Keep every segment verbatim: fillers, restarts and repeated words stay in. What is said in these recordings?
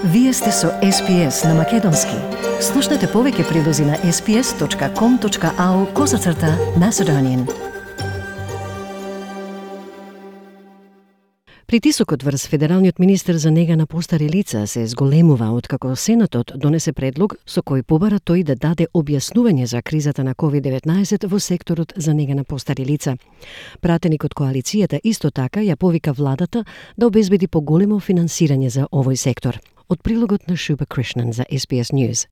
Вие сте со Ес Би Ес на Македонски. Слушнете повеќе прилози на ес би ес точка ком точка ау козацрта Macedonian. Притисокот врз федералниот министер за нега на постари лица се зголемува откако Сенатот донесе предлог со кој побара тој да даде објаснување за кризата на ковид деветнаесет во секторот за нега на постари лица. Пратеник од коалицијата исто така ја повика владата да обезбеди поголемо финансирање за овој сектор. Од прилогот на Шуба Кришнан за Ес Би Ес News.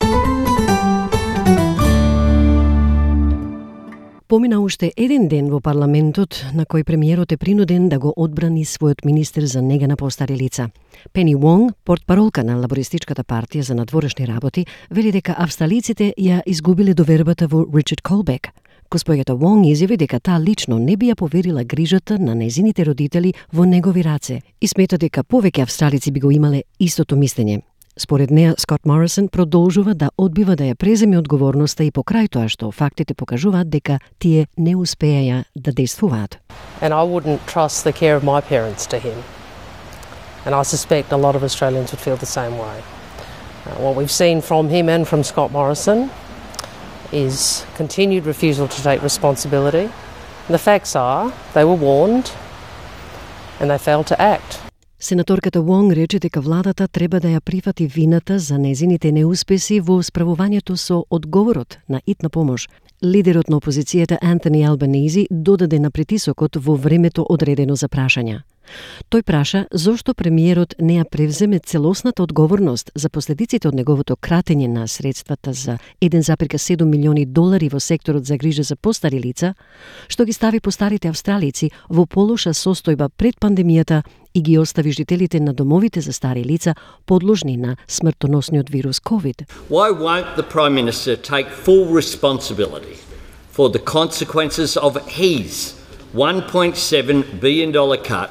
Помина уште еден ден во парламентот на кој премиерот е принуден да го одбрани својот министер за нега на постари лица. Пени Вонг, портпаролка на Лабористичката партија за надворешни работи, вели дека австралиците ја изгубиле довербата во Ричард Колбек. Госпоѓата Вонг изјави дека таа лично не би ја поверила грижата на нејзините родители во негови раце и смета дека повеќе австралици би го имале истото мислење. Според неа, Скот Морисон продолжува да одбива да ја преземе одговорноста и покрај тоа што фактите покажуваат дека тие не успееја да действуваат. And I wouldn't trust the care of my parents to him. And I suspect a lot of Australians would feel the same way. Uh, what we've seen from him and from Scott Morrison is continued refusal to take responsibility. And the facts are they were warned and they failed to act. Сенаторката Вонг рече дека владата треба да ја прифати вината за незините неуспеси во справувањето со одговорот на итна помош. Лидерот на опозицијата Антони Албанези додаде на притисокот во времето одредено за прашања. Тој праша зошто премиерот не ја превземе целосната одговорност за последиците од неговото кратење на средствата за еден зарез седум милиони долари во секторот за грижа за постари лица, што ги стави постарите австралици во полоша состојба пред пандемијата и ги остави жителите на домовите за стари лица подложни на смртоносниот вирус COVID. Why won't the Prime Minister take full responsibility for the consequences of his one point seven billion dollars cut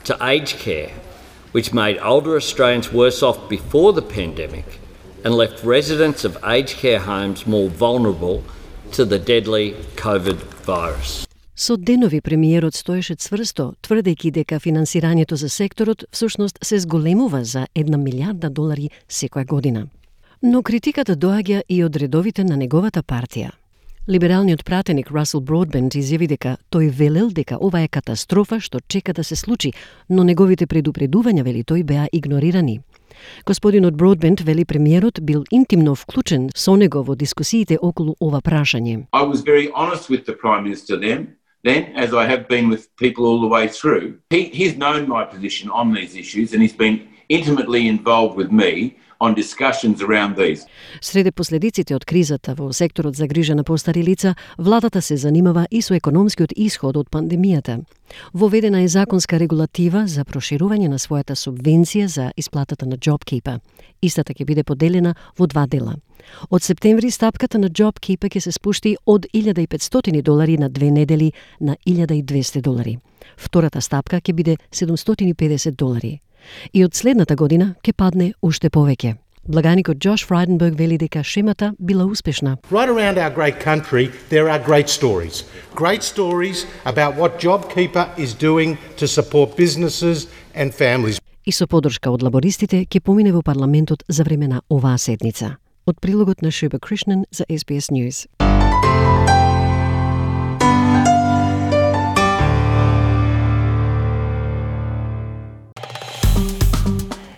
to aged care, which made older Australians worse off before the pandemic and left residents of aged care homes more vulnerable to the deadly COVID virus? Со денови премиерот стоеше цврсто, тврдејќи дека финансирањето за секторот всушност се зголемува за една милиарда долари секоја година. Но критиката доаѓа и од редовите на неговата партија. Либералниот пратеник Расел Бродбент изјави дека тој велел дека ова е катастрофа што чека да се случи, но неговите предупредувања, вели тој, беа игнорирани. Господинот Бродбент вели премиерот бил интимно вклучен со него во дискусиите околу ова прашање. I was very honest with the Prime Minister then, then as I have been with people all the way through. He, he's known my position on these issues and he's been intimately involved with me on discussions around these. Среде последиците од кризата во секторот за грижа на постари лица, владата се занимава и со економскиот исход од пандемијата. Воведена е законска регулатива за проширување на својата субвенција за исплатата на JobKeeper. Истата ќе биде поделена во два дела. Од септември стапката на JobKeeper ќе се спушти од илјада и петстотини долари на две недели на илјада и двесте долари. Втората стапка ќе биде седумстотини и педесет долари. И од следната година ќе падне уште повеќе. Благаникот Джош Фрайденберг вели дека шемата била успешна. Right around our great country there are great stories. Great stories about what JobKeeper is doing to support businesses and families. И со поддршка од лабористите ќе помине во парламентот за време на оваа седница. Од прилогот на Шуба Кришнан за Ес Би Ес News.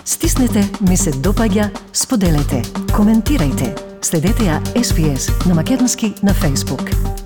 Стиснете, ми се допаѓа, споделете, коментирајте. Следете ја Ес Би Ес на Македонски на Facebook.